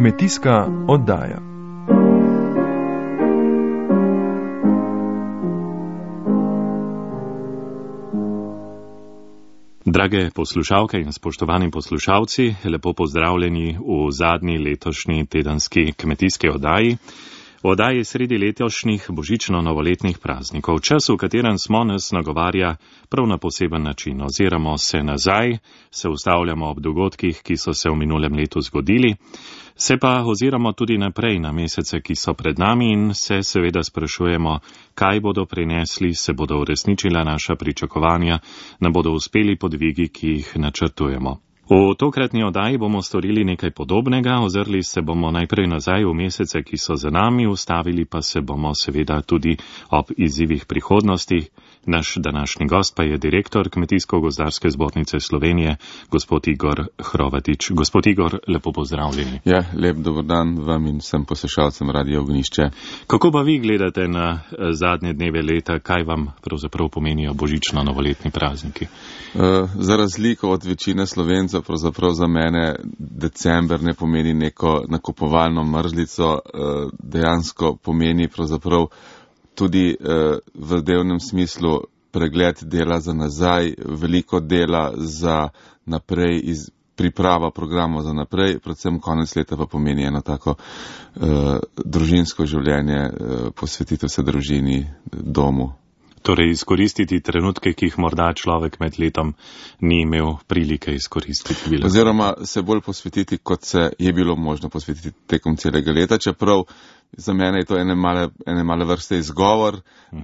Kmetijska oddaja. Drage poslušalke in spoštovani poslušalci, lepo pozdravljeni v zadnji letošnji tedenski kmetijski oddaji. V oddaji sredi letošnjih božično-novoletnih praznikov, čas, v katerem smo, nas nagovarja prav na poseben način. Oziramo se nazaj, se ustavljamo ob dogodkih, ki so se v minulem letu zgodili, se pa oziramo tudi naprej na mesece, ki so pred nami in se seveda sprašujemo, kaj bodo prinesli, se bodo uresničila naša pričakovanja, nam bodo uspeli podvigi, ki jih načrtujemo. V tokratni oddaji bomo storili nekaj podobnega, ozrli se bomo najprej nazaj v mesece, ki so za nami, ustavili pa se bomo seveda tudi ob izzivih prihodnosti. Naš današnji gost pa je direktor Kmetijsko-gozdarske zbornice Slovenije, gospod Igor Hrovatič. Gospod Igor, lepo pozdravljeni. Ja, lep dober dan vam in vsem poslušalcem Radia Ognjišče. Kako pa vi gledate na zadnje dneve leta, kaj vam pravzaprav pomenijo božično-novoletni prazniki? Za razliko od večine Slovencev, pravzaprav za mene december ne pomeni neko nakupovalno mrzlico, dejansko pomeni pravzaprav tudi v delnem smislu pregled dela za nazaj, veliko dela za naprej, priprava programov za naprej, predvsem konec leta pa pomeni eno tako družinsko življenje, posvetitev se družini, domu. Torej izkoristiti trenutke, ki jih morda človek med letom ni imel prilike izkoristiti. Oziroma se bolj posvetiti, kot se je bilo možno posvetiti tekom celega leta, čeprav za mene je to ene male vrste izgovor.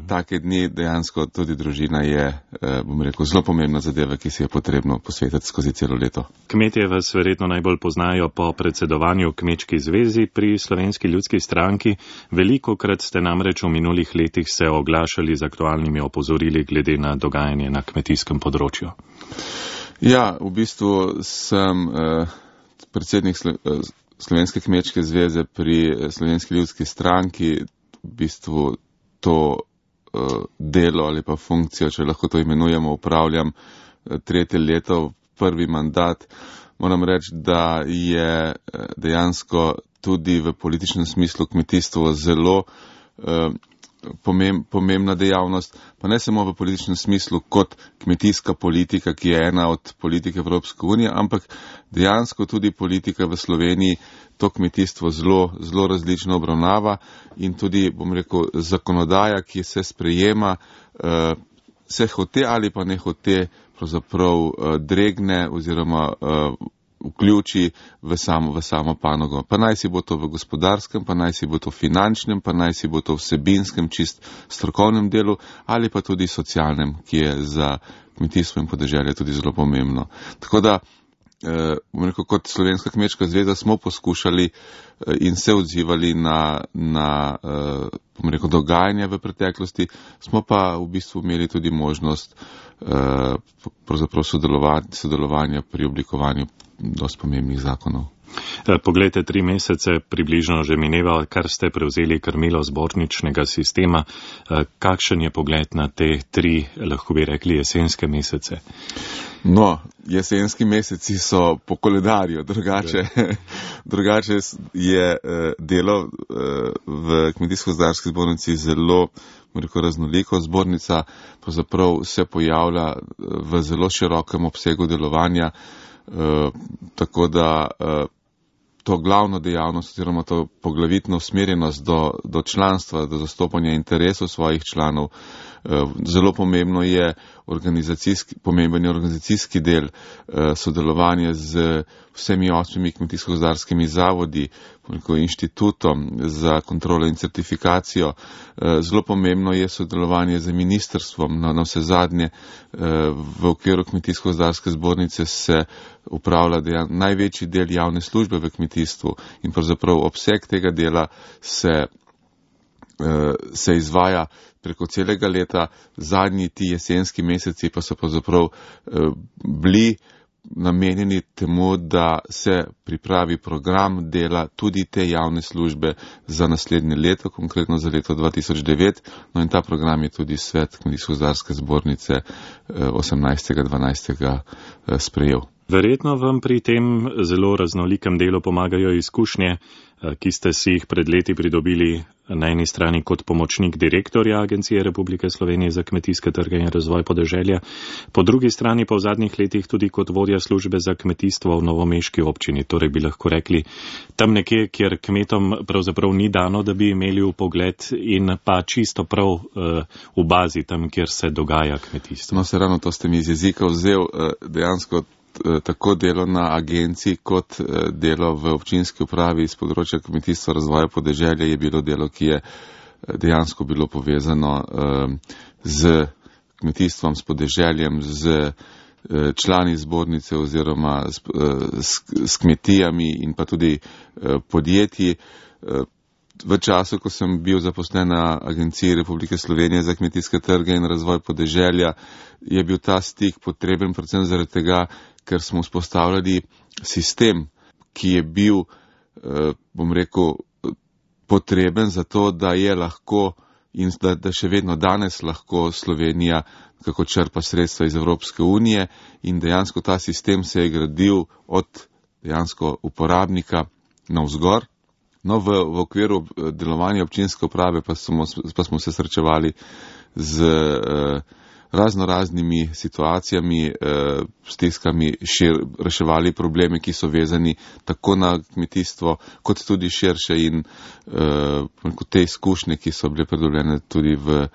Take dni dejansko tudi družina je, bom rekel, zelo pomembna zadeva, ki si je potrebno posvetiti skozi celo leto. Kmetje vas verjetno najbolj poznajo po predsedovanju Kmečki zvezi pri Slovenski ljudski stranki. Velikokrat ste namreč v minulih letih se oglašali z aktualnimi opozorili glede na dogajanje na kmetijskem področju. Ja, v bistvu sem predsednik Slovenske kmečke zveze pri Slovenski ljudski stranki, v bistvu to delo ali pa funkcijo, če lahko to imenujemo, upravljam 3. leto, prvi mandat. Moram reči, da je dejansko tudi v političnem smislu kmetijstvo zelo pomembna dejavnost, pa ne samo v političnem smislu kot kmetijska politika, ki je ena od politik Evropske unije, ampak dejansko tudi politika v Sloveniji to kmetijstvo zelo različno obravnava in tudi, bom rekel, zakonodaja, ki se sprejema, se hote ali pa ne hote pravzaprav dregne oziroma vključi v samo panogo. Pa naj si bo to v gospodarskem, pa naj si bo to v finančnem, pa naj si bo to v vsebinskem, čist strokovnem delu ali pa tudi socialnem, ki je za kmetijstvo in podeželje tudi zelo pomembno. Tako da, bom rekel, kot Slovenska kmečka zveza smo poskušali in se odzivali na bom rekel, dogajanja v preteklosti, smo pa v bistvu imeli tudi možnost pravzaprav sodelovanja pri oblikovanju dosti pomembnih zakonov. Poglejte, 3 mesece približno že mineva, kar ste prevzeli krmilo zborničnega sistema. Kakšen je pogled na te 3, lahko bi rekli, jesenske mesece? No, jesenski meseci so po koledarju, drugače je delo v Kmetijsko-gozdarski zbornici zelo raznoliko. Zbornica pravzaprav se pojavlja v zelo širokem obsegu delovanja, tako da to glavno dejavnost oziroma to poglavitno usmerjenost do članstva, do zastopanja interesov svojih članov. Zelo pomembno je pomemben organizacijski del sodelovanja z vsemi 8 kmetijsko-gozdarskimi zavodi, inštitutom za kontrolo in certifikacijo. Zelo pomembno je sodelovanje z ministrstvom. Na vse zadnje v okviru Kmetijsko-gozdarske zbornice se upravlja največji del javne službe v kmetijstvu in pravzaprav obseg tega dela se izvaja preko celega leta. Zadnji ti jesenski meseci pa so pravzaprav bili namenjeni temu, da se pripravi program dela tudi te javne službe za naslednje leto, konkretno za leto 2009. No in ta program je tudi svet Kmetijsko-gozdarske zbornice 18.12. sprejel. Verjetno vam pri tem zelo raznolikem delu pomagajo izkušnje, ki ste si jih pred leti pridobili na eni strani kot pomočnik direktorja Agencije Republike Slovenije za kmetijske trge in razvoj podeželja, po drugi strani pa v zadnjih letih tudi kot vodja službe za kmetijstvo v novomeški občini. Torej bi lahko rekli tam nekje, kjer kmetom pravzaprav ni dano, da bi imeli vpogled in pa čisto prav v bazi tam, kjer se dogaja kmetijstvo. No, se ravno to ste mi iz jezika vzel, dejansko tako delo na agenciji kot delo v občinski upravi iz področja kmetijstva razvoja podeželja je bilo delo, ki je dejansko bilo povezano z kmetijstvom, s podeželjem, z člani zbornice oziroma s kmetijami in pa tudi podjetji. V času, ko sem bil zaposlen na Agenciji Republike Slovenije za kmetijske trge in razvoj podeželja, je bil ta stik potreben predvsem zaradi tega, ker smo vzpostavljali sistem, ki je bil, bom rekel, potreben za to, da je lahko in da še vedno danes lahko Slovenija kako črpa sredstva iz Evropske unije in dejansko ta sistem se je gradil od dejansko uporabnika navzgor. No, v okviru delovanja občinske uprave pa smo se srečevali z raznoraznimi situacijami, stiskami, reševali probleme, ki so vezani tako na kmetijstvo, kot tudi širše in te izkušnje, ki so bile pridobljene tudi v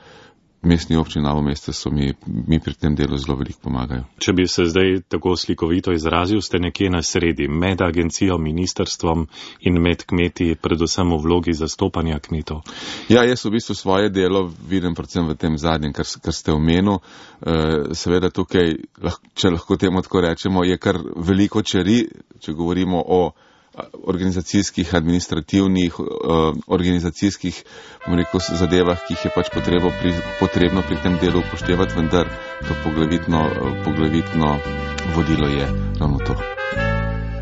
mestni občini Novo mesto, so mi pri tem delu zelo veliko pomagajo. Če bi se zdaj tako slikovito izrazil, ste nekje na sredi med agencijo, ministrstvom in med kmeti, predvsem v vlogi zastopanja kmetov. Ja, jaz v bistvu svoje delo vidim predvsem v tem zadnjem, kar ste omenil. Seveda tukaj, če lahko temu tako rečemo, je kar veliko čeri, če govorimo o organizacijskih, administrativnih, organizacijskih, bom rekel, zadevah, ki jih je pač potrebno pri tem delu upoštevati, vendar to poglavitno vodilo je ravno to.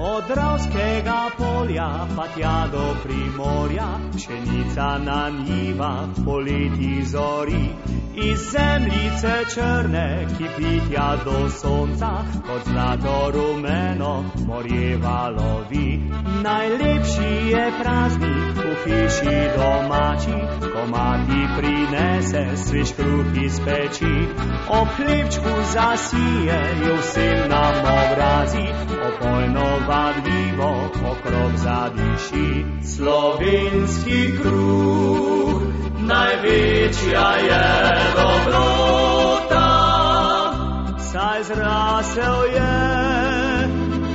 Od Dravskega polja pa tja do Primorja, pšenica na njivah poleti zori. Iz zemljice črne, ki pitja do sonca, kot zlato rumeno morje valovi. Najlepši je praznik v hiši domači, ko mati prinese svež kruh iz peči. Ob hlebčku zasije jo vsem nam obrazi, opojno vadljivo okrog zadiši. Slovenski kruh, največja je dobrota, saj zrasel je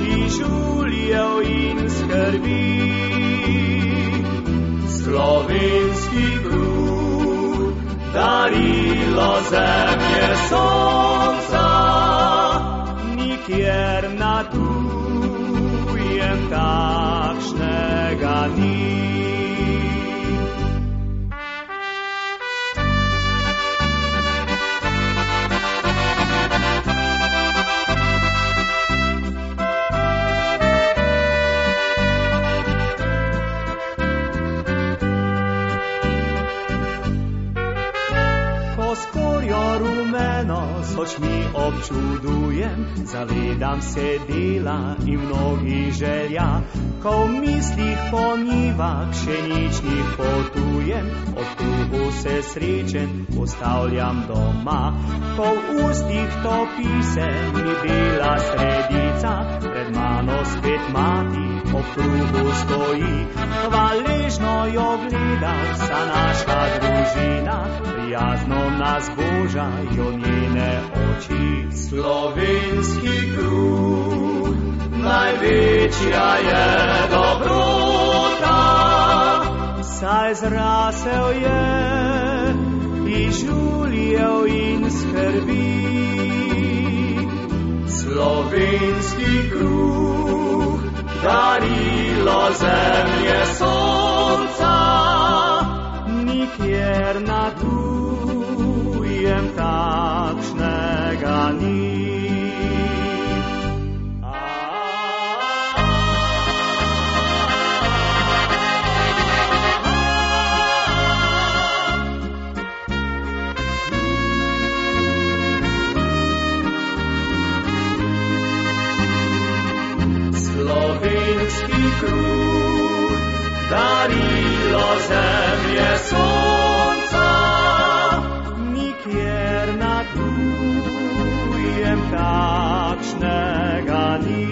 iz žuljev in skrbi. Slovenski kruh, darilo zemlje sonca, nikjer na tujem takšnega ni. S očmi občudujem, zavedam se dela in mnogih želja, ko v mislih po njivah pšeničnih potujem, ob kruhu se srečen postavljam doma, ko v ustih topi se mi bela sredica, pred mano spet mati ob kruhu stoji, hvaležno jo gleda vsa naša družina, prijazno nas božajo njene oči. Slovenski kruh, največja je dobrota, saj zrasel je iz žuljev in skrbi. Slovenski kruh, darilo zemlje sonca, nikjer na tujem takšnega ni. kruh, darilo zemlje sonca, nikjer na tujem takšnega ni.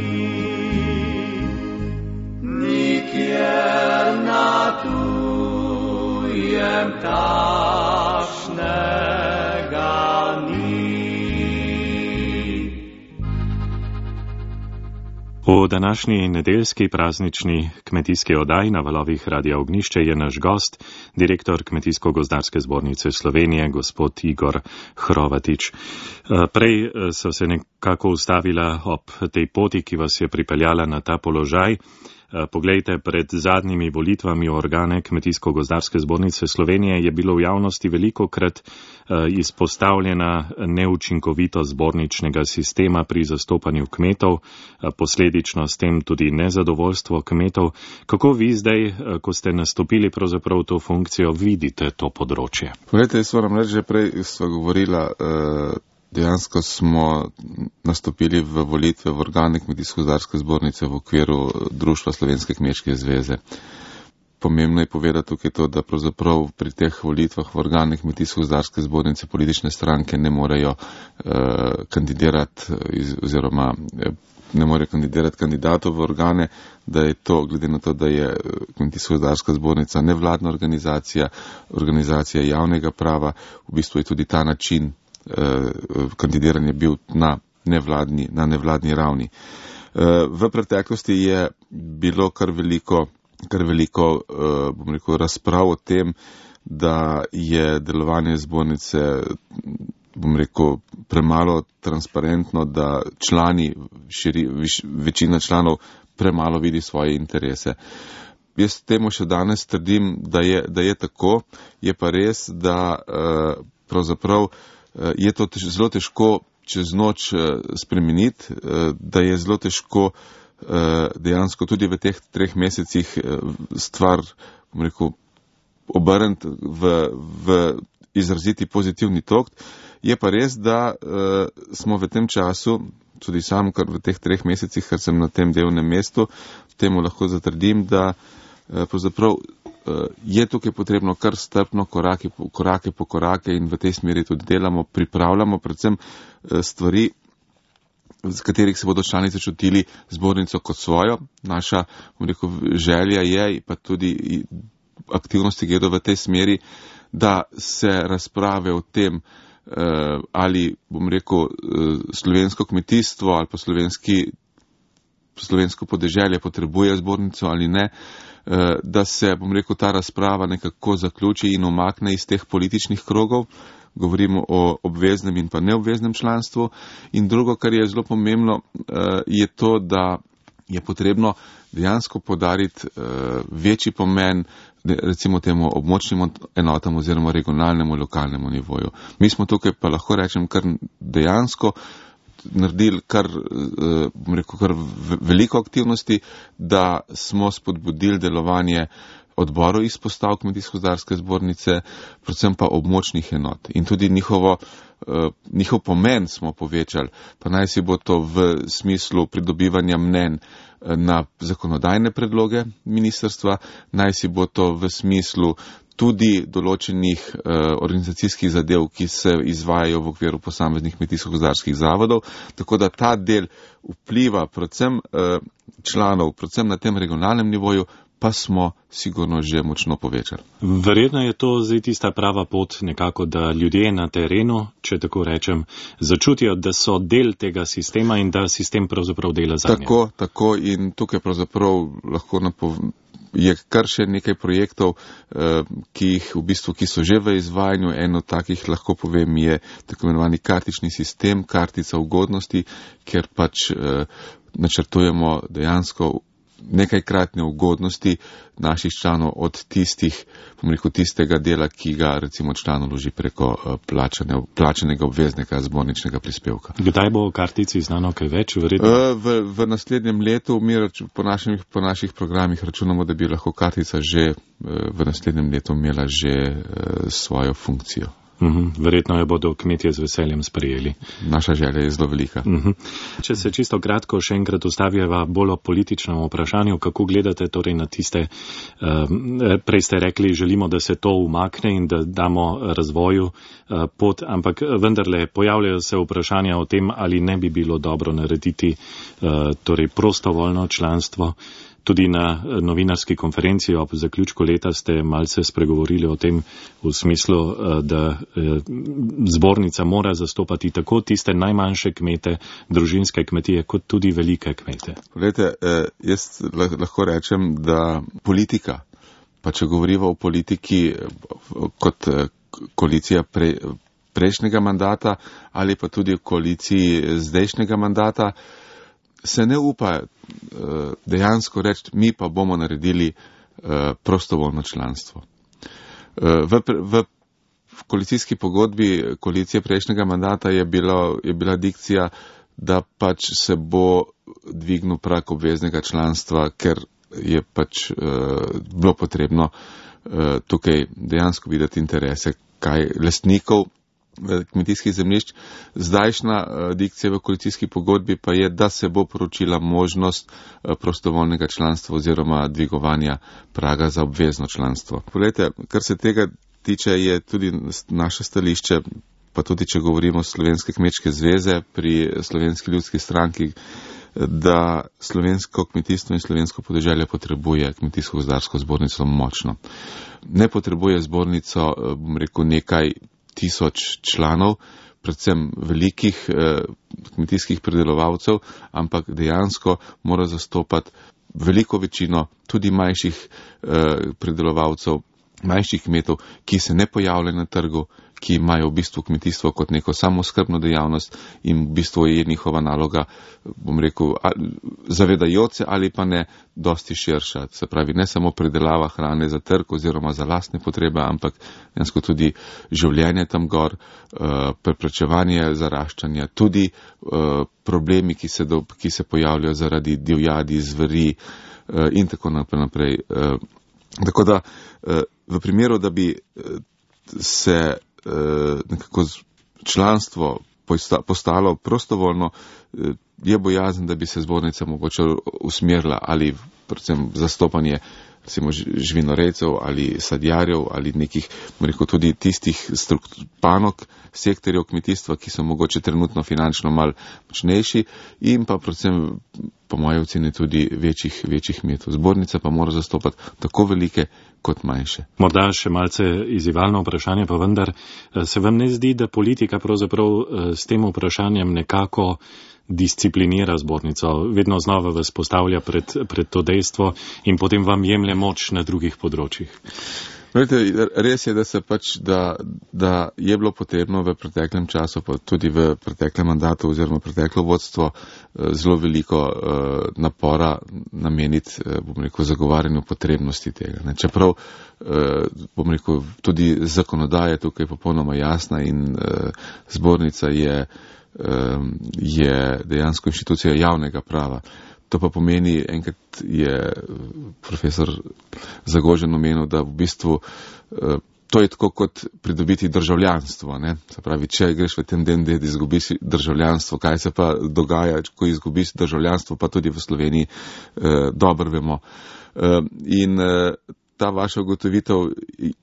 Nikjer na tujem takšnega ni. V današnji nedeljski praznični kmetijski oddaji na valovih Radia Ognjišče je naš gost, direktor Kmetijsko-gozdarske zbornice Slovenije, gospod Igor Hrovatič. Prej so se nekako ustavila ob tej poti, ki vas je pripeljala na ta položaj. Poglejte, pred zadnjimi volitvami v organe Kmetijsko-gozdarske zbornice Slovenije je bilo v javnosti velikokrat izpostavljena neučinkovitost zborničnega sistema pri zastopanju kmetov, posledično s tem tudi nezadovoljstvo kmetov. Kako vi zdaj, ko ste nastopili pravzaprav to funkcijo, vidite to področje? Poglejte, jaz moram reči, že prej sva govorila, dejansko smo nastopili v volitve v organe Kmetijsko-gozdarske zbornice v okviru Društva Slovenske kmečke zveze. Pomembno je povedati tukaj to, da pravzaprav pri teh volitvah v organe Kmetijsko-gozdarske zbornice politične stranke ne morejo kandidirati oziroma ne morejo kandidirati kandidatov v organe, da je to, glede na to, da je Kmetijsko-gozdarska zbornica nevladna organizacija, organizacija javnega prava, v bistvu je tudi ta način kandidiranje bil na nevladni ravni. V preteklosti je bilo kar veliko, bom rekel, razprav o tem, da je delovanje zbornice, bom rekel, premalo transparentno, da večina članov premalo vidi svoje interese. Jaz temu še danes trdim, da je tako, je pa res, da pravzaprav je to zelo težko čez noč spremeniti, da je zelo težko dejansko tudi v teh 3 mesecih stvar, bom rekel, obrniti v izraziti pozitivni tok. Je pa res, da smo v tem času, tudi sam, kar v teh 3 mesecih, ker sem na tem delovnem mestu, temu lahko zatrdim, da pravzaprav je tukaj potrebno kar strpno korake po korake in v tej smeri tudi delamo, pripravljamo predvsem stvari, z katerih se bodo članice čutili zbornico kot svojo. Naša, bom rekel, želja je, pa tudi aktivnosti gredo v tej smeri, da se razprave o tem, ali, bom rekel, slovensko kmetijstvo ali pa slovensko podeželje potrebuje zbornico ali ne, da se, bom rekel, ta razprava nekako zaključi in umakne iz teh političnih krogov. Govorimo o obveznem in pa neobveznem članstvu. In drugo, kar je zelo pomembno, je to, da je potrebno dejansko podariti večji pomen, recimo temu območnim enotam oziroma regionalnemu, lokalnemu nivoju. Mi smo tukaj, pa lahko rečem, kar dejansko naredili kar veliko aktivnosti, da smo spodbudili delovanje odborov izpostav Kmetijsko-gozdarske zbornice, predvsem pa območnih enot. In tudi njihov pomen smo povečali, pa naj si bo to v smislu pridobivanja mnenj na zakonodajne predloge ministrstva, naj si bo to v smislu tudi določenih organizacijskih zadev, ki se izvajajo v okviru posameznih kmetijsko-gozdarskih zavodov, tako da ta del vpliva predvsem članov, predvsem na tem regionalnem nivoju, pa smo sigurno že močno povečali. Verjetno je to zdaj tista prava pot nekako, da ljudje na terenu, če tako rečem, začutijo, da so del tega sistema in da sistem pravzaprav dela za nje. Tako in tukaj pravzaprav lahko je kar še nekaj projektov, ki so že v izvajanju. En od takih, lahko povem, je tako imenovani kartični sistem, kartica ugodnosti, kjer pač načrtujemo dejansko nekajkratne ugodnosti naših članov od tistega dela, ki ga recimo član vloži preko plačanega obveznega zborničnega prispevka. Kdaj bo o kartici znano kaj več? V naslednjem letu mi po naših programih računamo, da bi lahko kartica že v naslednjem letu imela že svojo funkcijo. Verjetno jo bodo kmetje z veseljem sprejeli. Naša želja je zelo velika. Če se čisto kratko še enkrat ustavljava bolj o političnem vprašanju, kako gledate torej na tiste, prej ste rekli, želimo, da se to umakne in da damo razvoju pot, ampak vendarle pojavljajo se vprašanja o tem, ali ne bi bilo dobro narediti torej prostovoljno članstvo. Tudi na novinarski konferenci ob zaključku leta ste malce spregovorili o tem v smislu, da zbornica mora zastopati tako tiste najmanjše kmete, družinske kmetije, kot tudi velike kmete. Poglejte, jaz lahko rečem, da politika, pa če govorimo o politiki kot koalicija prejšnjega mandata ali pa tudi v koaliciji zdajšnjega mandata, se ne upa dejansko reči, mi pa bomo naredili prostovoljno članstvo. V koalicijski pogodbi koalicije prejšnjega mandata je bila dikcija, da pač se bo dvignil prag obveznega članstva, ker je pač bilo potrebno tukaj dejansko videti interese lastnikov kmetijskih zemljišč. Zdajšnja dikcija v koalicijski pogodbi pa je, da se bo poročila možnost prostovoljnega članstva oziroma dvigovanja praga za obvezno članstvo. Poglejte, kar se tega tiče, je tudi naše stališče, pa tudi če govorimo o Slovenske kmečke zveze pri Slovenski ljudski stranki, da slovensko kmetijstvo in slovensko podeželje potrebuje kmetijsko-gozdarsko zbornico močno. Ne potrebuje zbornico, bom rekel, nekaj tisoč članov, predvsem velikih kmetijskih pridelovalcev, ampak dejansko mora zastopati veliko večino tudi manjših pridelovalcev, manjših kmetov, ki se ne pojavljajo na trgu, ki imajo v bistvu kmetijstvo kot neko samooskrbno dejavnost in v bistvu je njihova naloga, bom rekel, zavedajoč se ali pa ne, dosti širša. Se pravi, ne samo pridelava hrane za trg oziroma za lastne potrebe, ampak dejansko tudi življenje tam gor, preprečevanje zaraščanja, tudi problemi, ki se pojavljajo zaradi divjadi, zveri in tako naprej. Tako da v primeru, da bi se nekako članstvo postalo prostovoljno, je bojazen, da bi se zbornica mogoče usmerila ali predvsem zastopanje recimo živinorejcev ali sadjarjev ali nekih, rekel, tudi tistih panog, sektorjev kmetijstva, ki so mogoče trenutno finančno mal močnejši in pa predvsem po moje oceni tudi večjih kmetov. Zbornica pa mora zastopati tako velike kot manjše. Morda še malce izzivalno vprašanje, pa vendar se vam ne zdi, da politika pravzaprav s tem vprašanjem nekako disciplinira zbornico, vedno znova vas postavlja pred to dejstvo in potem vam jemlje moč na drugih področjih? Res je, da je bilo potrebno v preteklem času, pa tudi v preteklem mandatu oziroma preteklo vodstvo zelo veliko napora nameniti, bom rekel, zagovarjanju potrebnosti tega. Čeprav, bom rekel, tudi zakonodaja je tukaj popolnoma jasna in zbornica je dejansko inštitucija javnega prava. To pa pomeni, enkrat je profesor Zagožen omenil, da v bistvu to je tako kot pridobiti državljanstvo. Ne? Se pravi, če greš v tem delu, da izgubiš državljanstvo, kaj se pa dogaja, ko izgubiš državljanstvo, pa tudi v Sloveniji dobro vemo. In ta vaša ugotovitev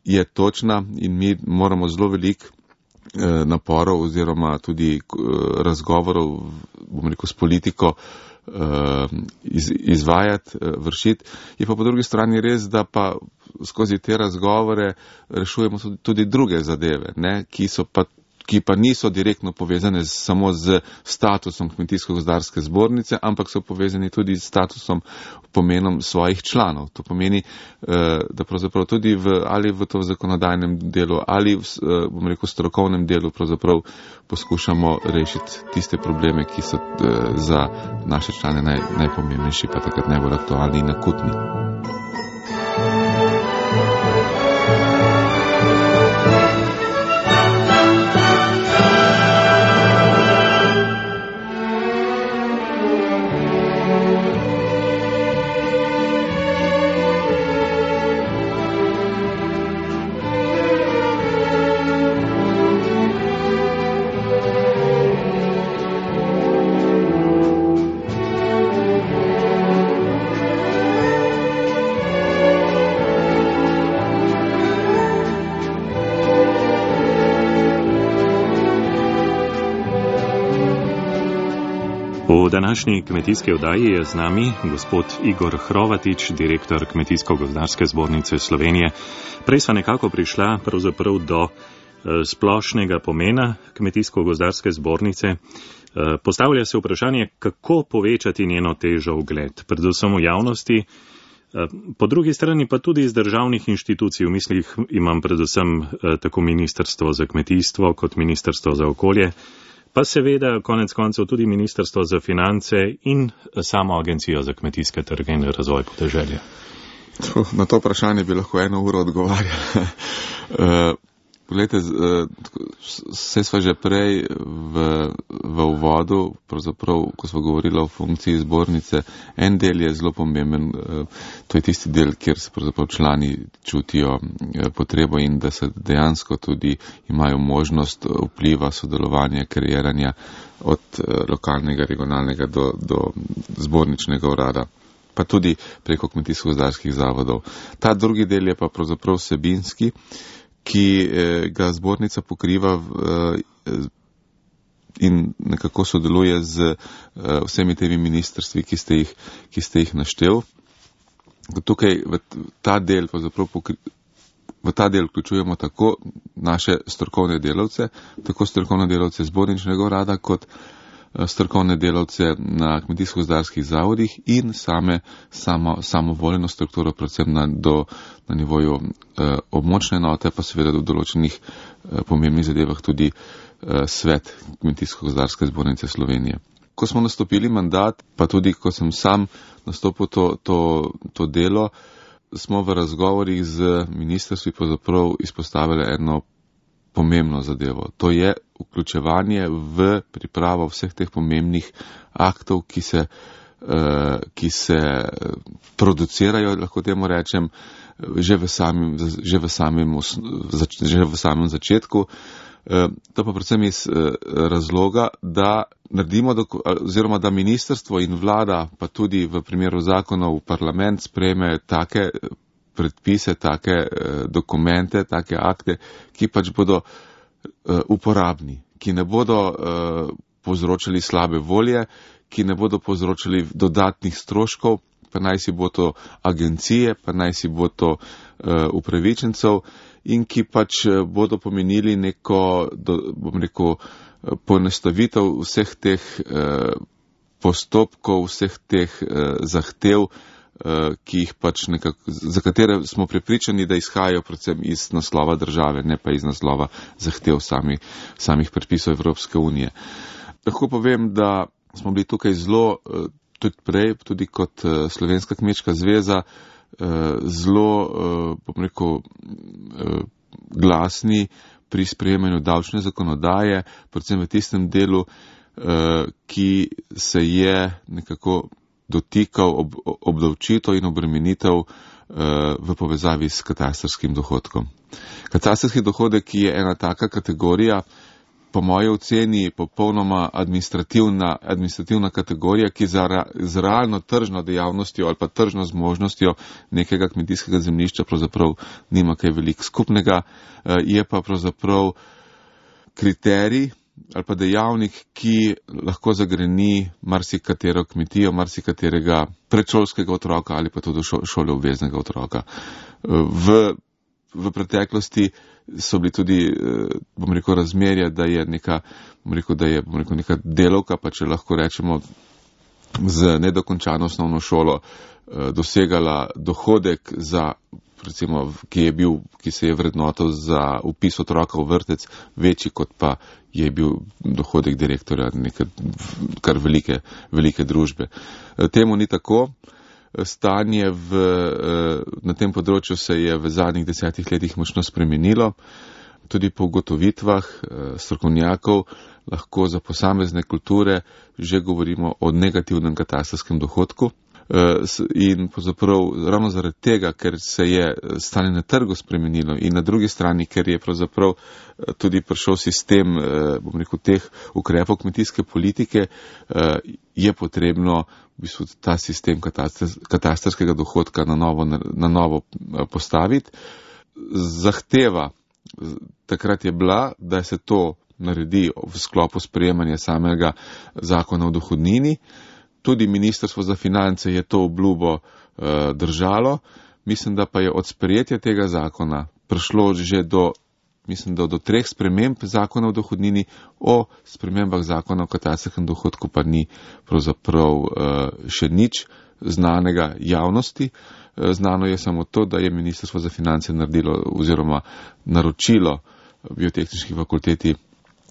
je točna in mi moramo zelo veliko naporov oziroma tudi razgovorov, bom rekel, s politiko izvajati, vršiti. Je pa po drugi strani res, da pa skozi te razgovore rešujemo tudi druge zadeve, ne, ki pa niso direktno povezane samo z statusom kmetijsko-gozdarske zbornice, ampak so povezani tudi s statusom, pomenom svojih članov. To pomeni, da pravzaprav tudi ali v to zakonodajnem delu ali bom rekel strokovnem delu pravzaprav poskušamo rešiti tiste probleme, ki so za naše člane najpomembnejši, pa takrat najbolj aktualni in akutni. V današnji kmetijski oddaji je z nami gospod Igor Hrovatič, direktor Kmetijsko-gozdarske zbornice Slovenije. Prej sva nekako prišla pravzaprav do splošnega pomena Kmetijsko-gozdarske zbornice. Postavlja se vprašanje, kako povečati njeno težo ugled, predvsem v javnosti, po drugi strani pa tudi iz državnih inštitucij. V mislih imam predvsem tako Ministrstvo za kmetijstvo kot Ministrstvo za okolje, pa seveda konec koncev tudi Ministrstvo za finance in samo Agencijo za kmetijske trge in razvoj podeželja. Na to vprašanje bi lahko 1 uro odgovarjal. Poglejte, vse sva že prej v uvodu, pravzaprav, ko sva govorila o funkciji zbornice, en del je zelo pomemben, to je tisti del, kjer se pravzaprav člani čutijo potrebo in da se dejansko tudi imajo možnost vpliva, sodelovanja, kreiranja od lokalnega, regionalnega do zborničnega urada, pa tudi preko kmetijsko-gozdarskih zavodov. Ta drugi del je pa pravzaprav vsebinski, ki ga zbornica pokriva in nekako sodeluje z vsemi temi ministrstvi, ki ste jih naštel. Tukaj v ta del vključujemo tako naše strokovne delavce, tako strokovne delavce zborničnega urada, kot strokovne delavce na kmetijsko-gozdarskih zavodih in samovoljno strukturo, predvsem na nivoju območne enote, pa seveda v določenih pomembnih zadevah tudi svet Kmetijsko-gozdarske zbornice Slovenije. Ko smo nastopili mandat, pa tudi ko sem sam nastopil to delo, smo v razgovorih z ministrstvi pravzaprav izpostavili eno pomembno zadevo. To je vključevanje v pripravo vseh teh pomembnih aktov, ki se producirajo, lahko temu rečem, že v samem začetku. To pa predvsem iz razloga, da naredimo, oziroma da ministrstvo in vlada, pa tudi v primeru zakonov parlament sprejme take predpise, take dokumente, take akte, ki pač bodo uporabni, ki ne bodo povzročali slabe volje, ki ne bodo povzročali dodatnih stroškov, pa naj si bo to agencije, pa naj si bo to upravičencev in ki pač bodo pomenili neko, bom rekel, poenostavitev vseh teh postopkov, vseh teh zahtev, ki jih pač za katere smo prepričani, da izhajajo predvsem iz naslova države, ne pa iz naslova zahtev samih predpisov Evropske unije. Lahko povem, da smo bili tukaj zelo, tudi prej, tudi kot Slovenska kmečka zveza, zelo, bom rekel, glasni pri sprejemanju davčne zakonodaje, predvsem v tistem delu, ki se je nekako dotikal obdavčitev in obremenitev v povezavi s katastrskim dohodkom. Katastrski dohodek je ena taka kategorija, po moji oceni popolnoma administrativna kategorija, ki z realno tržno dejavnostjo ali pa tržno zmožnostjo nekega kmetijskega zemljišča pravzaprav nima kaj veliko skupnega, je pa pravzaprav kriterij ali pa dejavnik, ki lahko zagreni marsikatero kmetijo, marsikaterega predšolskega otroka ali pa tudi šoloobveznega otroka. V preteklosti so bili tudi, bom rekel, razmerja, da je neka delavka, pa če lahko rečemo, z nedokončano osnovno šolo dosegala dohodek za, recimo, ki se je vrednotil za vpis otroka v vrtec, večji kot pa je bil dohodek direktorja neke kar velike družbe. Temu ni tako. Stanje na tem področju se je v zadnjih 10 letih močno spremenilo. Tudi po ugotovitvah strokovnjakov lahko za posamezne kulture že govorimo o negativnem katastrskem dohodku. In pravzaprav ravno zaradi tega, ker se je stanje na trgu spremenilo in na drugi strani, ker je pravzaprav tudi prišel sistem, bom rekel, teh ukrepov kmetijske politike, je potrebno v bistvu ta sistem katastrskega dohodka na novo postaviti. Zahteva takrat je bila, da se to naredi v sklopu sprejemanja samega zakona o dohodnini. Tudi Ministrstvo za finance je to obljubo držalo. Mislim, da pa je od sprejetja tega zakona prišlo že do 3 sprememb zakona o dohodnini, o spremembah zakona o katastrskem dohodku pa ni pravzaprav še nič znanega javnosti. Znano je samo to, da je Ministrstvo za finance naredilo oziroma naročilo biotehnički fakulteti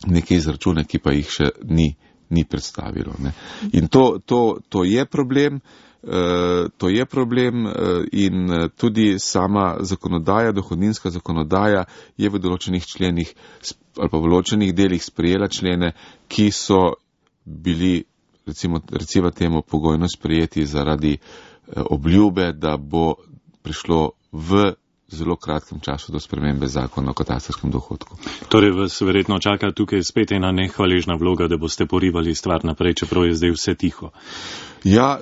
neke izračune, ki pa jih še ni predstavilo. Ne. In to je problem. To je problem in tudi sama zakonodaja, dohodninska zakonodaja je v določenih členih ali pa v določenih delih sprejela člene, ki so bili recimo temu pogojno sprejeti zaradi obljube, da bo prišlo v zelo kratkem času do spremembe zakona o katastrskem dohodku. Torej vas verjetno čaka tukaj spet ena nehvaležna vloga, da boste porivali stvar naprej, čeprav je zdaj vse tiho. Ja,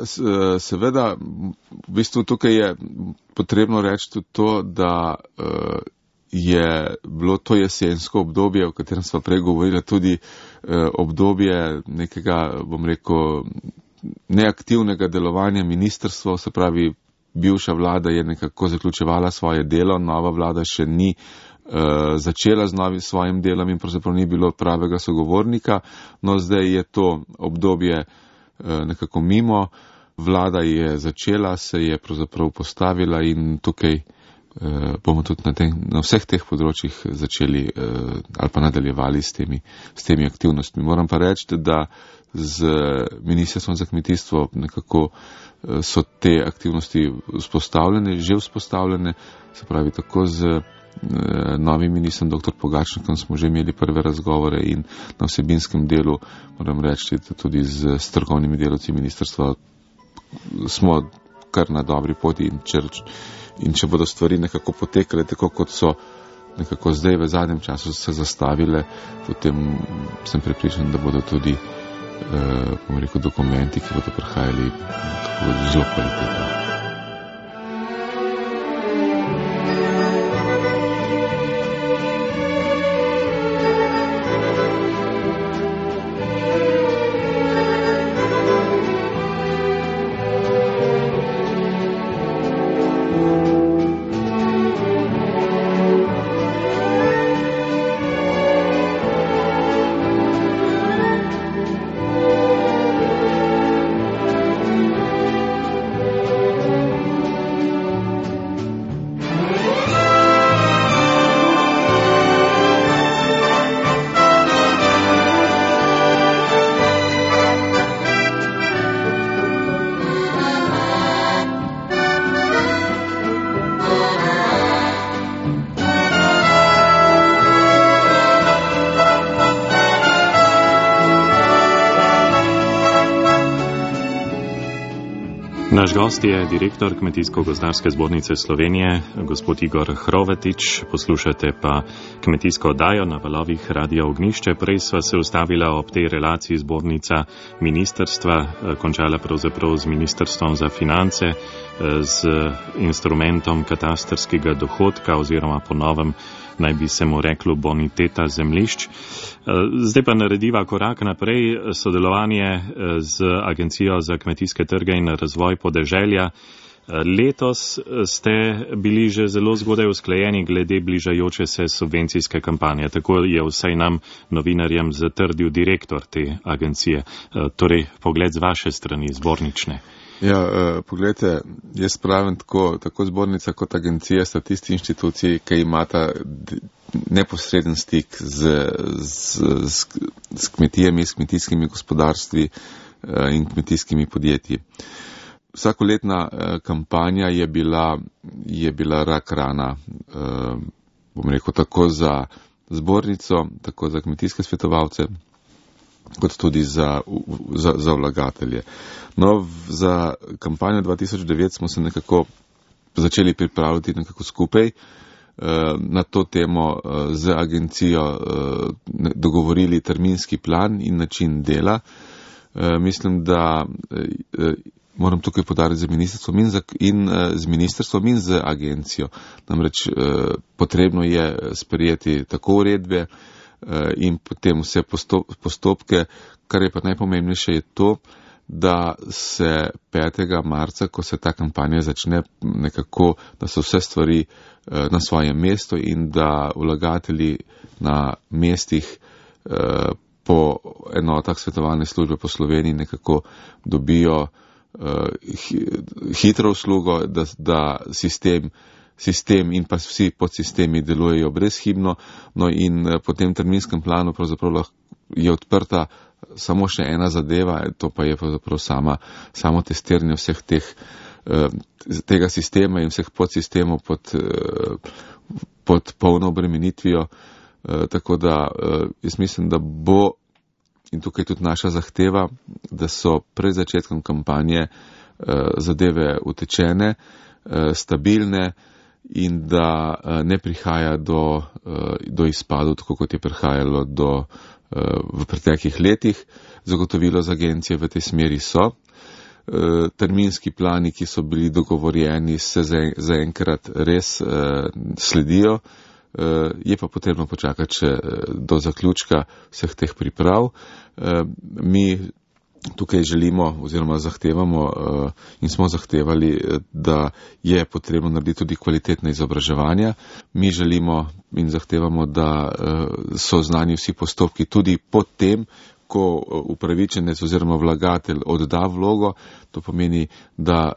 seveda, v bistvu tukaj je potrebno reči tudi to, da je bilo to jesensko obdobje, o katerem sva prej govorila, tudi obdobje nekega, bom rekel, neaktivnega delovanja ministrstva, se pravi, bivša vlada je nekako zaključevala svoje delo, nova vlada še ni začela z novim svojim delom in pravzaprav ni bilo pravega sogovornika, no zdaj je to obdobje nekako mimo, vlada je začela, se je pravzaprav postavila in tukaj bomo tudi na vseh teh področjih začeli ali pa nadaljevali s temi aktivnostmi. Moram pa reči, da z Ministrstvom za kmetijstvo nekako so te aktivnosti že vzpostavljene, se pravi tako z novim ministrom dr. Pogačnikom smo že imeli prve razgovore in na vsebinskem delu, moram reči, tudi z strokovnimi delavci ministrstva smo kar na dobri poti in če bodo stvari nekako potekale tako, kot so nekako zdaj v zadnjem času se zastavile, potem sem prepričan, da bodo tudi dokumenti, ki bodo prihajali zelo kvalitetno. Naš gost je direktor Kmetijsko-gozdarske zbornice Slovenije, gospod Igor Hrovetič. Poslušate pa kmetijsko oddajo na valovih Radia Ognjišče. Prej sva se ustavila ob tej relaciji zbornica ministrstva, končala pravzaprav z Ministrstvom za finance, z instrumentom katastrskega dohodka oziroma po novem naj bi se mu reklo boniteta zemljišč. Zdaj pa narediva korak naprej, sodelovanje z Agencijo za kmetijske trge in razvoj podeželja. Letos ste bili že zelo zgodaj usklajeni glede bližajoče se subvencijske kampanje. Tako je vsaj nam, novinarjem, zatrdil direktor te agencije. Torej, pogled z vaše strani, zbornične. Ja, pogledajte, jaz pravim tako zbornica kot agencija sta tisti inštituciji, ki imata neposreden stik s kmetijami, s kmetijskimi gospodarstvi in kmetijskimi podjetji. Vsakoletna kampanja je bila rak rana, bom rekel, tako za zbornico, tako za kmetijske svetovalce, kot tudi za vlagatelje. No, za kampanjo 2009 smo se nekako začeli pripravljati nekako skupaj, na to temo z agencijo dogovorili terminski plan in način dela. Mislim, da moram tukaj podariti z ministrstvom in z agencijo. Namreč potrebno je sprejeti tako uredbe, in potem vse postopke. Kar je pa najpomembnejše, je to, da se 5. marca, ko se ta kampanja začne, nekako, da so vse stvari na svojem mestu in da vlagatelji na mestih po enotah svetovalne službe po Sloveniji nekako dobijo hitro uslugo, da sistem in pa vsi podsistemi delujejo brezhibno, no in po tem terminskem planu pravzaprav je odprta samo še ena zadeva, to pa je pravzaprav samo testiranje vseh tega sistema in vseh podsistemov pod polno obremenitvijo, tako da jaz mislim, da bo, in tukaj tudi naša zahteva, da so pred začetkom kampanje zadeve utečene, stabilne in da ne prihaja do izpadov, tako kot je prihajalo v preteklih letih. Zagotovilo z agencije v tej smeri so. Terminski plani, ki so bili dogovorjeni, se zaenkrat res sledijo. Je pa potrebno počakati še do zaključka vseh teh priprav. Mi tukaj želimo oziroma zahtevamo in smo zahtevali, da je potrebno narediti tudi kvalitetne izobraževanja. Mi želimo in zahtevamo, da so znani vsi postopki tudi potem, ko upravičenec oziroma vlagatelj odda vlogo. To pomeni, da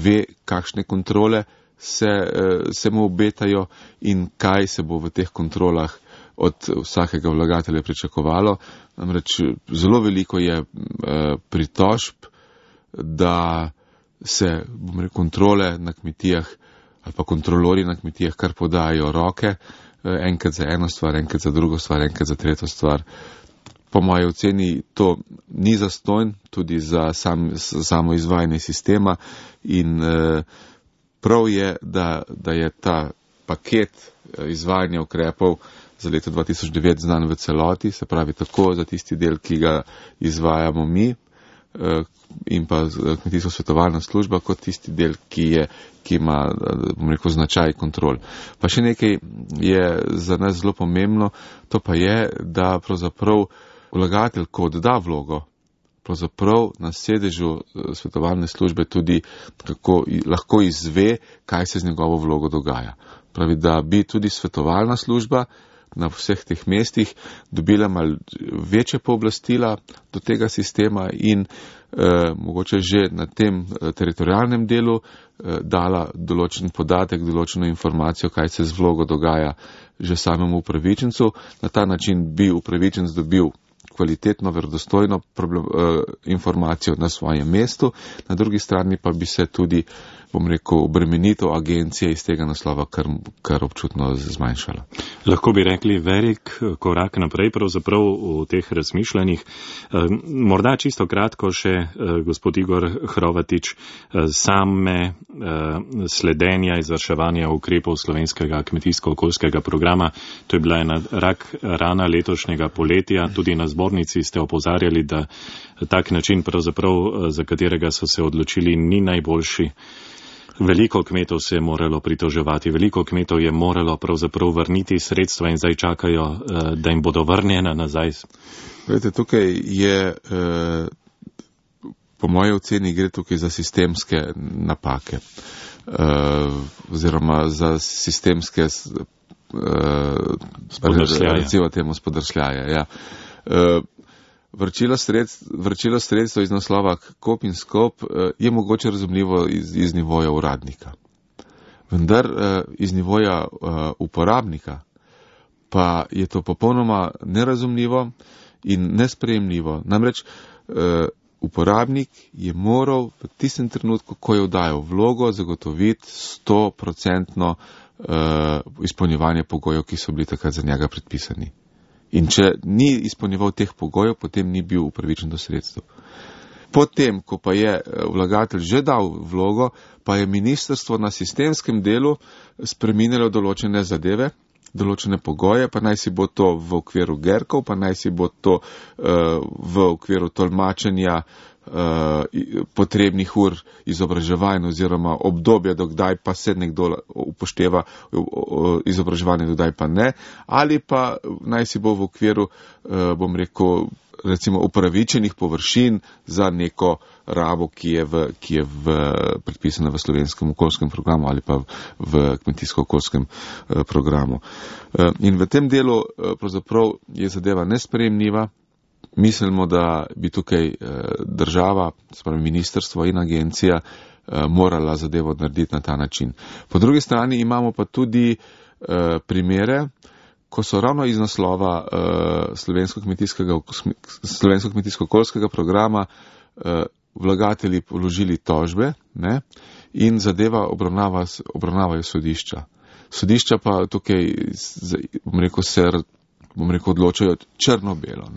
ve, kakšne kontrole se mu obetajo in kaj se bo v teh kontrolah od vsakega vlagatelja pričakovalo. Namreč zelo veliko je pritožb, da se kontrole na kmetijah ali pa kontrolori na kmetijah kar podajajo roke, enkrat za eno stvar, enkrat za drugo stvar, enkrat za tretjo stvar. Po moji oceni to ni zastonj tudi za samo izvajanje sistema in prav je, da je ta paket izvajanja ukrepov za leto 2009 znan v celoti, se pravi tako za tisti del, ki ga izvajamo mi in pa kmetijsko svetovalna služba, kot tisti del, ki ima, bom rekel, značaj kontrol. Pa še nekaj je za nas zelo pomembno, to pa je, da pravzaprav vlagatelj, ko odda vlogo, pravzaprav na sedežu svetovalne službe tudi lahko izve, kaj se z njegovo vlogo dogaja. Pravi, da bi tudi svetovalna služba na vseh teh mestih dobila malo večje pooblastila do tega sistema in mogoče že na tem teritorialnem delu dala določen podatek, določeno informacijo, kaj se z vlogo dogaja že samemu upravičencu. Na ta način bi upravičenc dobil kvalitetno, verodostojno informacijo na svojem mestu, na drugi strani pa bi se tudi, bom rekel, obremenitev agencije iz tega naslova kar občutno zmanjšala. Lahko bi rekli velik korak naprej pravzaprav v teh razmišljanjih. Morda čisto kratko še, gospod Igor Hrovatič, same sledenja izvrševanja ukrepov slovenskega kmetijsko-okoljskega programa. To je bila ena rak rana letošnjega poletja. Tudi na zbornici ste opozarjali, da tak način pravzaprav, za katerega so se odločili, ni najboljši. Veliko kmetov se je moralo pritoževati, veliko kmetov je moralo pravzaprav vrniti sredstva in zdaj čakajo, da jim bodo vrnjena nazaj. Vedete, tukaj je, po moji oceni gre tukaj za sistemske napake, oziroma za sistemske recimo temu spodrsljaje. Ja. Vrčilo sredstva iz naslova KOP in SKOP je mogoče razumljivo iz nivoja uradnika. Vendar iz nivoja uporabnika pa je to popolnoma nerazumljivo in nesprejemljivo. Namreč uporabnik je moral v tistem trenutku, ko je oddajal vlogo, zagotoviti 100% izpolnjevanje pogojev, ki so bili takrat za njega predpisani. In če ni izpolnjeval teh pogojev, potem ni bil upravičen do sredstev. Potem, ko pa je vlagatelj že dal vlogo, pa je ministrstvo na sistemskem delu spreminjalo določene zadeve, določene pogoje, pa naj si bo to v okviru GERK-ov, pa naj si bo to v okviru tolmačenja potrebnih ur izobraževanja oziroma obdobja, dokdaj pa se nekdo upošteva izobraževanje, dokdaj pa ne, ali pa naj si bo v okviru, bom rekel, recimo upravičenih površin za neko rabo, ki je predpisana v slovenskem okoljskem programu ali pa v kmetijsko-okoljskem programu. In v tem delu pravzaprav je zadeva nesprejemljiva. Mislimo, da bi tukaj država, spravi ministrstvo in agencija morala zadevo narediti na ta način. Po drugi strani imamo pa tudi primere, ko so ravno iz naslova slovensko kmetijsko-okoljskega programa vlagatelji položili tožbe, ne, in zadeva obravnavajo sodišča. Sodišča pa tukaj, bom rekel, odločajo črno-belo.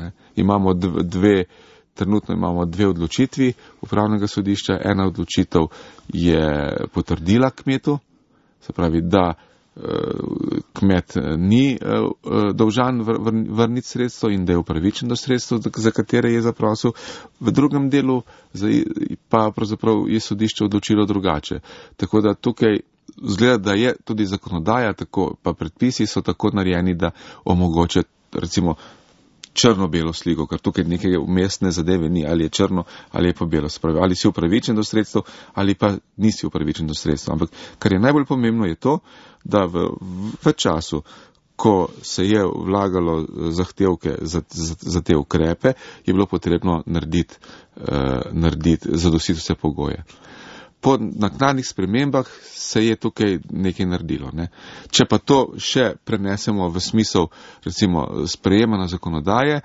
Trenutno imamo dve odločitvi upravnega sodišča. Ena odločitev je potrdila kmetu, se pravi, da kmet ni dolžan vrniti sredstvo in da je upravičen do sredstev, za katere je zaprosil. V drugem delu pa pravzaprav je sodišče odločilo drugače. Tako da tukaj zgleda, da je tudi zakonodaja, tako pa predpisi so tako narejeni, da omogoča recimo črno-belo sliko, ker tukaj neke umestne zadeve ni, ali je črno ali je pa belo. Spravi, ali si upravičen do sredstev ali pa nisi upravičen do sredstev. Ampak kar je najbolj pomembno je to, da v času, ko se je vlagalo zahtevke za te ukrepe, je bilo potrebno narediti zadostiti vse pogoje. Po naknadnih spremembah se je tukaj nekaj naredilo. Ne. Če pa to še prenesemo v smisel, recimo, sprejemanja zakonodaje,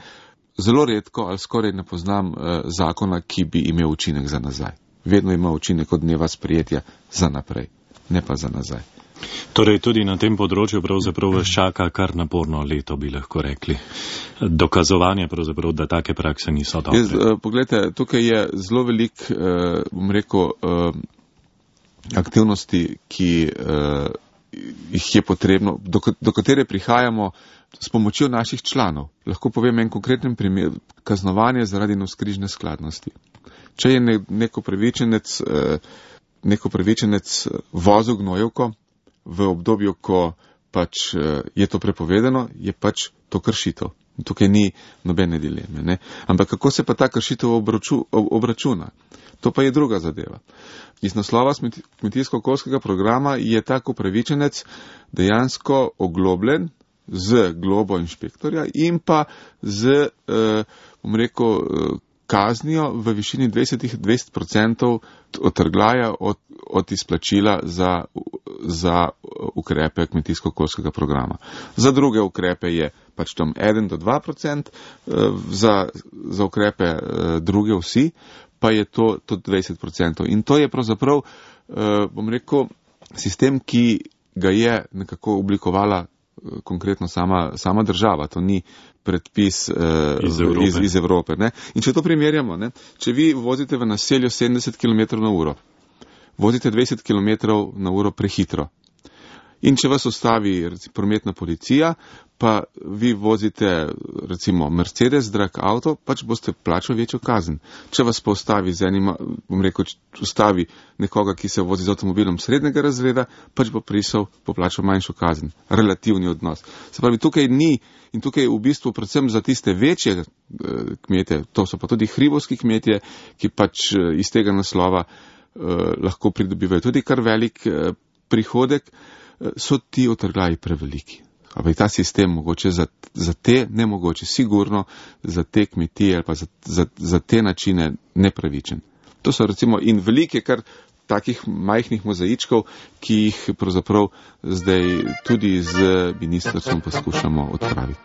zelo redko ali skoraj ne poznam zakona, ki bi imel učinek za nazaj. Vedno ima učinek od dneva sprejetja za naprej, ne pa za nazaj. Torej tudi na tem področju pravzaprav vas čaka kar naporno leto, bi lahko rekli. Dokazovanje pravzaprav, da take prakse niso dobre. Poglejte, tukaj je zelo velik, bom rekel, aktivnosti, ki jih je potrebno, do katere prihajamo s pomočjo naših članov. Lahko povem en konkreten primer, kaznovanje zaradi navzkrižne skladnosti. Če je neko pravičenec vozil gnojevko v obdobju, ko pač je to prepovedano, je pač to kršitev. Tukaj ni nobene dileme. Ne? Ampak kako se pa ta kršitev obračuna? To pa je druga zadeva. Iz naslova kmetijsko-okoljskega programa je tak upravičenec dejansko oglobljen z globo inšpektorja in pa z, bom rekel, kaznijo v višini 20% odtrgljaja od izplačila za ukrepe kmetijsko-okoljskega programa. Za druge ukrepe je pač tam 1 do 2%, za ukrepe druge vsi pa je to 20%. In to je pravzaprav, bom rekel, sistem, ki ga je nekako oblikovala konkretno sama država. To ni predpis iz Evrope. Ne? In če to primerjamo, ne? Če vi vozite v naselju 70 km/h, vozite 20 km/h prehitro. In če vas ustavi prometna policija, pa vi vozite recimo Mercedes, drag avto, pač boste plačali večjo kazen. Če vas pa ustavi z enim, bom rekel, ustavi nekoga, ki se vozi z avtomobilom srednjega razreda, pač bo poplačal manjšo kazen. Relativni odnos. Se pravi, tukaj ni in tukaj v bistvu predvsem za tiste večje kmete, to so pa tudi hribovski kmetje, ki pač iz tega naslova lahko pridobivajo tudi kar velik prihodek, so ti odtrgljaji preveliki. Ampak ta sistem mogoče za te nemogoče, sigurno za te kmetije ali pa za te načine nepravičen. To so recimo in velike kar takih majhnih mozaičkov, ki jih pravzaprav zdaj tudi z ministrstvom poskušamo odpraviti.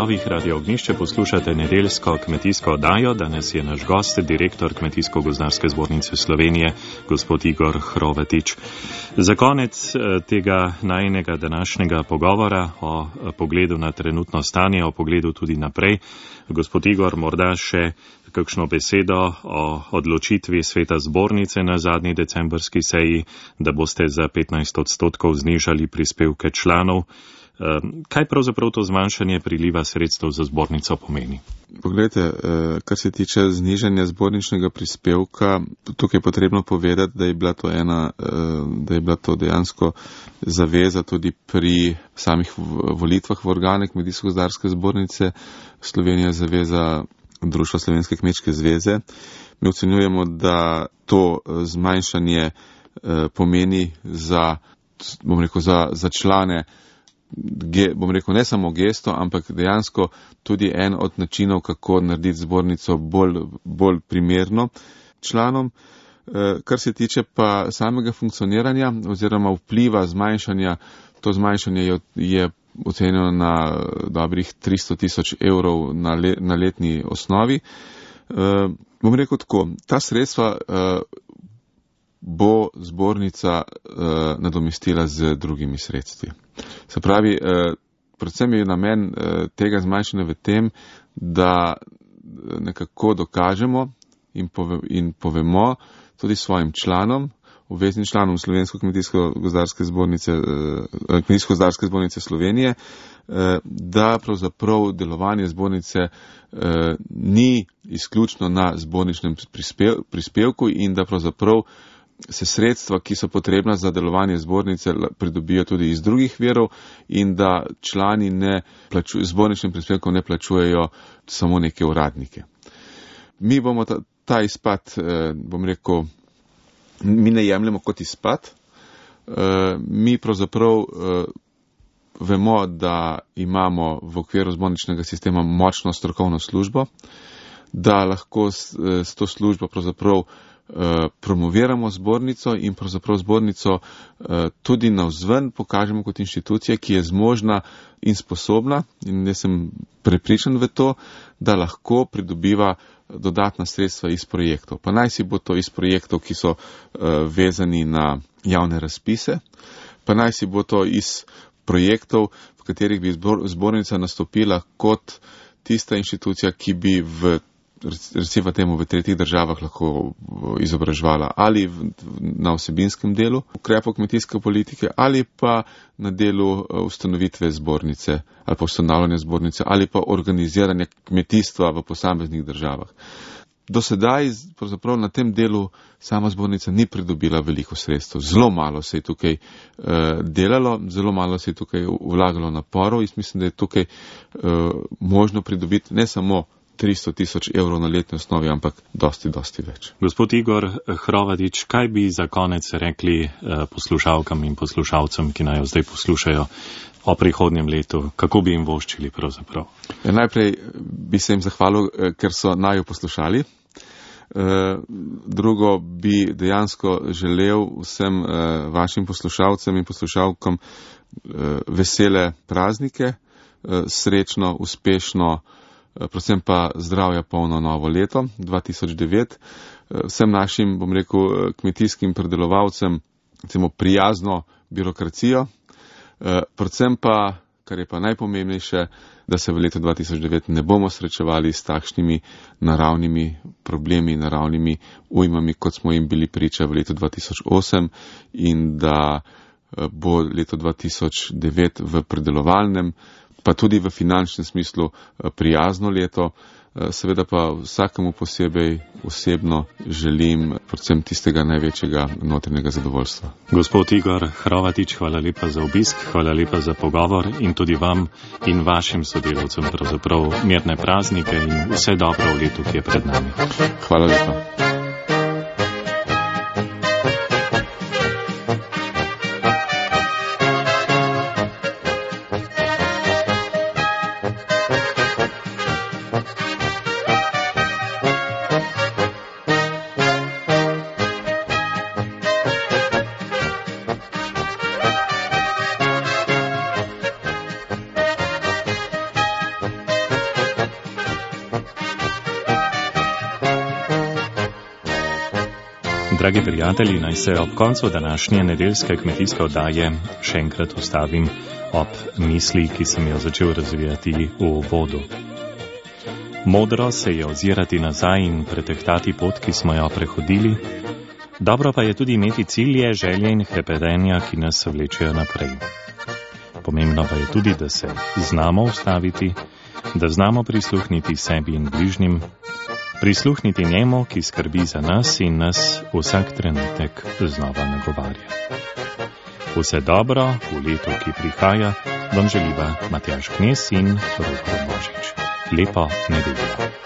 valovih Radio Ognjišče poslušate nedeljsko kmetijsko oddajo. Danes je naš gost, direktor Kmetijsko-gozdarske zbornice Slovenije, gospod Igor Hrovatič. Za konec tega najinega današnjega pogovora o pogledu na trenutno stanje, o pogledu tudi naprej, gospod Igor, morda še kakšno besedo o odločitvi sveta zbornice na zadnji decembrski seji, da boste za 15% znižali prispevke članov. Kaj pravzaprav to zmanjšanje priliva sredstev za zbornico pomeni? Poglejte, kar se tiče znižanja zborničnega prispevka, tukaj je potrebno povedati, da je bila to dejansko zaveza tudi pri samih volitvah v organe Kmetijsko-gozdarske zbornice. Slovenija je zaveza Društva Slovenske kmečke zveze. Mi ocenjujemo, da to zmanjšanje pomeni za člane, ne samo gesto, ampak dejansko tudi en od načinov, kako narediti zbornico bolj primerno članom. Kar se tiče pa samega funkcioniranja oziroma vpliva zmanjšanja, to zmanjšanje je ocenjeno na dobrih 300 000 evrov na letni osnovi. Bom rekel tako, ta sredstva bo zbornica nadomestila z drugimi sredstvi. Se pravi, predvsem je namen tega zmanjšanja v tem, da nekako dokažemo in povemo tudi svojim članom, obveznim članom Slovensko kmetijsko-gozdarske zbornice Slovenije, da pravzaprav delovanje zbornice ni izključno na zborničnem prispevku in da pravzaprav se sredstva, ki so potrebna za delovanje zbornice, pridobijo tudi iz drugih virov in da člani zborničnim prispevkom ne plačujejo samo neke uradnike. Mi bomo ta izpad, mi ne jemljemo kot izpad. Mi pravzaprav vemo, da imamo v okviru zborničnega sistema močno strokovno službo, da lahko s to službo pravzaprav promoviramo zbornico in pravzaprav zbornico tudi navzven pokažemo kot inštitucija, ki je zmožna in sposobna, in jaz sem prepričan v to, da lahko pridobiva dodatna sredstva iz projektov. Pa naj si bo to iz projektov, ki so vezani na javne razpise, pa naj si bo to iz projektov, v katerih bi zbornica nastopila kot tista inštitucija, ki bi recimo temu v tretjih državah lahko izobraževala ali na vsebinskem delu ukrepov kmetijske politike ali pa na delu ustanovitve zbornice ali pa ustanavljanja zbornice ali pa organiziranja kmetijstva v posameznih državah. Do sedaj pravzaprav na tem delu sama zbornica ni pridobila veliko sredstev. Zelo malo se je tukaj delalo, zelo malo se je tukaj vlagalo naporov in mislim, da je tukaj možno pridobiti ne samo 300 000 evrov na letni osnovi, ampak dosti več. Gospod Igor Hrovatič, kaj bi za konec rekli poslušalkam in poslušalcem, ki naj jo zdaj poslušajo o prihodnjem letu? Kako bi jim voščili pravzaprav? Najprej bi se jim zahvalil, ker so naju poslušali. Drugo bi dejansko želel vsem vašim poslušalcem in poslušalkam vesele praznike, srečno, uspešno, predvsem pa zdravja polno novo leto 2009. Vsem našim, kmetijskim predelovalcem prijazno birokracijo, predvsem pa, kar je pa najpomembnejše, da se v letu 2009 ne bomo srečevali s takšnimi naravnimi problemi, naravnimi ujmami, kot smo jim bili priča v letu 2008 in da bo leto 2009 v predelovalnem pa tudi v finančnem smislu prijazno leto. Seveda pa vsakemu posebej osebno želim predvsem tistega največjega notranjega zadovoljstva. Gospod Igor Hrovatič, hvala lepa za obisk, hvala lepa za pogovor in tudi vam in vašim sodelavcem pravzaprav mirne praznike in vse dobro v letu, ki je pred nami. Hvala lepa. Dragi prijatelji, naj se ob koncu današnje nedeljske kmetijske oddaje še enkrat ustavim ob misli, ki sem jo začel razvijati v vodu. Modro se je ozirati nazaj in pretehtati pot, ki smo jo prehodili. Dobro pa je tudi imeti cilje, želje in hrepenenja, ki nas vlečejo naprej. Pomembno pa je tudi, da se znamo ustaviti, da znamo prisluhniti sebi in bližnjim, prisluhniti njemu, ki skrbi za nas in nas vsak trenutek znova nagovarja. Vse dobro v letu, ki prihaja, vam želiva Matjaž Knez in Rok Božič. Lepo nedeljo.